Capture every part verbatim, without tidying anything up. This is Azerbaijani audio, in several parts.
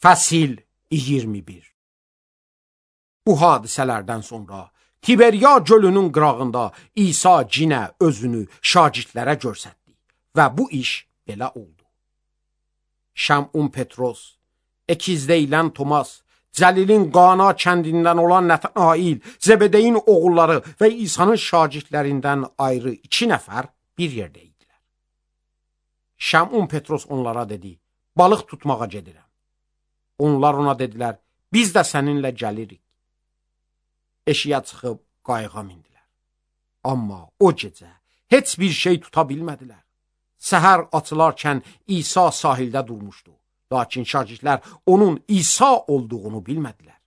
Fəsil iyirmi bir. Bu hadisələrdən sonra Tiberiya gölünün qırağında İsa cinə özünü şagirdlərə göstərdi və bu iş belə oldu. Şəmun Petros, əkizləyilən Tomas, Cəlilin Qana kəndindən olan Nətanail, Zebedeyin oğulları və İsa'nın şagirdlərindən ayrı iki nəfər bir yerdə idilər. Şəmun Petros onlara dedi, balıq tutmağa gedirəm. Onlar ona dedilər, biz də səninlə gəlirik. Eşiyə çıxıb qayığa mindilər. Amma o gecə heç bir şey tuta bilmədilər. Səhər açılarkən İsa sahildə durmuşdu. Lakin şagirdlər onun İsa olduğunu bilmədilər.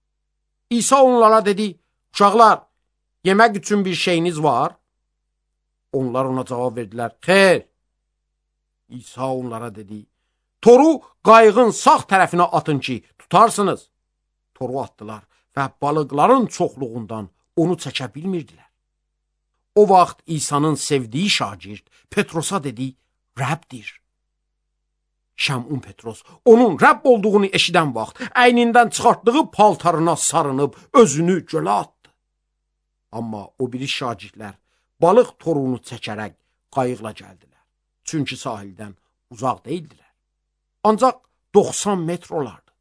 İsa onlara dedi, uşaqlar, yemək üçün bir şeyiniz var? Onlar ona cavab verdilər, xeyr. İsa onlara dedi, toru qayığın sağ tərəfinə atın ki, tutarsınız. Toru atdılar və balıqların çoxluğundan onu çəkə bilmirdilər. O vaxt İsa'nın sevdiyi şagird Petrosa dedi, Rəbdir. Şəmun Petros onun Rəbb olduğunu eşidən vaxt əynindən çıxartdığı paltarına sarınıb özünü gölə atdı. Amma o biri şagirdlər balıq torunu çəkərək qayıqla gəldilər. Çünki sahildən uzaq deyildilər. Ancaq doxsan metr olardı.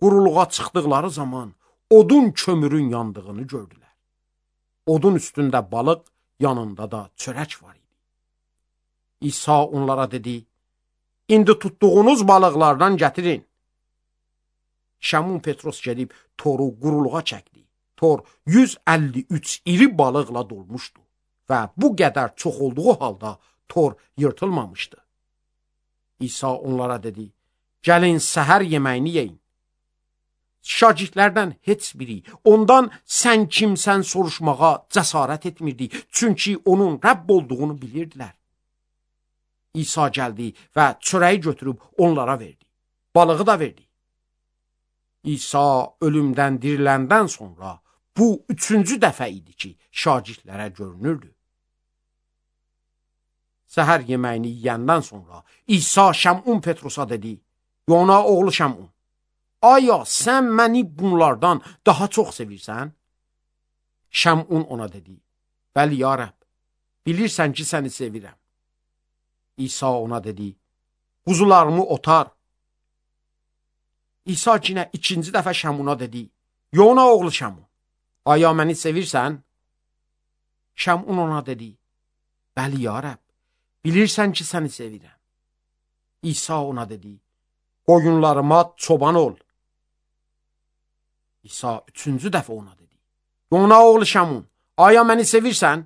Quruluğa çıxdıqları zaman odun kömürün yandığını gördülər. Odun üstündə balıq, yanında da çörək var idi. İsa onlara dedi, İndi tutduğunuz balıqlardan gətirin. Şəmun Petros gedib toru quruluğa çəkdi. Tor yüz əlli üç iri balıqla dolmuşdu və bu qədər çox olduğu halda tor yırtılmamışdı. İsa onlara dedi, gəlin səhər yeməyini yeyin. Şagirdlərdən heç biri ondan sən kimsən soruşmağa cəsarət etmirdi, çünki onun Rəbb olduğunu bilirdilər. İsa gəldi və çörəyi götürüb onlara verdi. Balığı da verdi. İsa ölümdən diriləndən sonra bu üçüncü dəfə idi ki, şagirdlərə görünürdü. Səhər yeməyini yeyəndən sonra İsa Şəmun Petrosa dedi, Yona oğlu Şəmun, aya sən məni bunlardan daha çox sevirsən? Şəmun ona dedi, bəli ya Rəbb, bilirsən ki, səni sevirəm. İsa ona dedi, quzularımı otar. İsa yenə ikinci dəfə Şəmuna dedi, Yona oğlu Şəmun, aya məni sevirsən? Şəmun ona dedi, bəli ya Rəbb, bilirsən ki, səni sevirəm. İsa ona dedi, qoyunlarıma çoban ol. İsa üçüncü dəfə ona dedi, Yona oğlu Şəmun, aya məni sevirsən?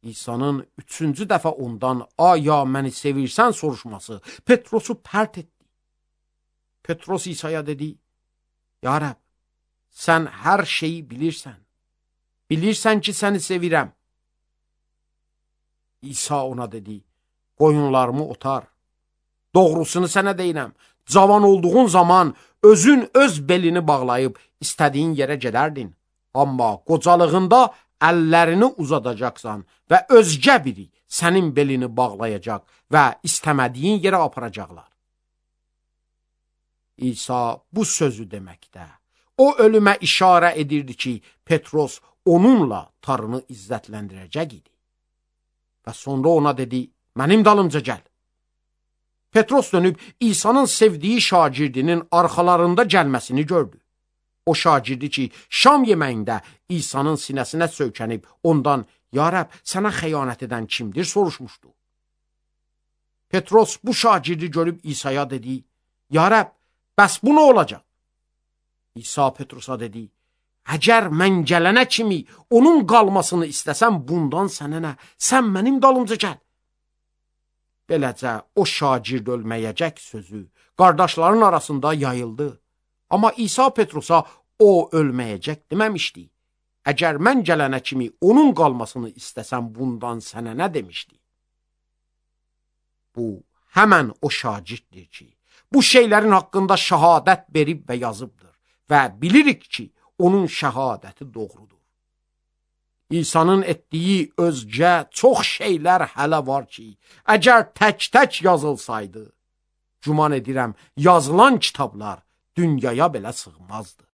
İsa'nın üçüncü dəfə ondan aya məni sevirsən soruşması Petrosu pərt etdi. Petros İsa'ya dedi, ya Rəbb, sən hər şeyi bilirsən. Bilirsən ki, səni sevirəm. İsa ona dedi, qoyunlarımı otar. Doğrusunu sənə deyirəm, cavan olduğun zaman özün öz belini bağlayıb istədiyin yerə gedərdin. Amma qocalığında əllərini uzadacaqsan və özgə biri sənin belini bağlayacaq və istəmədiyin yerə aparacaqlar. İsa bu sözü deməkdə, o ölümə işarə edirdi ki, Petros onunla tarını izzətləndirəcək idi. Və sonra ona dedi, mənim dalımca gəl. Petros dönüb İsa'nın sevdiyi şagirdinin arxalarında gəlməsini gördü. O şagirdi ki, şam yeməyində İsa'nın sinəsinə söykənib ondan, ya Rəbb, sənə xəyanət edən kimdir soruşmuşdu. Petros bu şagirdi görüb İsa'ya dedi, ya Rəbb, bəs bu nə olacaq? İsa Petrosa dedi, əgər mən gələnə kimi onun qalmasını istəsəm bundan sənə nə, sən mənim dalımca gəl. Beləcə o şagird ölməyəcək sözü qardaşların arasında yayıldı. Amma İsa Petrosa o ölməyəcək deməmişdi. Əgər mən gələnə kimi onun qalmasını istəsəm bundan sənə nə demişdi? Bu, həmən o şagirddir ki, bu şeylərin haqqında şəhadət verib və yazıbdır və bilirik ki, onun şəhadəti doğrudur. İsa'nın etdiyi özgə çox şeylər hələ var ki, əgər tək-tək yazılsaydı, güman edirəm yazılan kitablar dünyaya belə sığmazdı.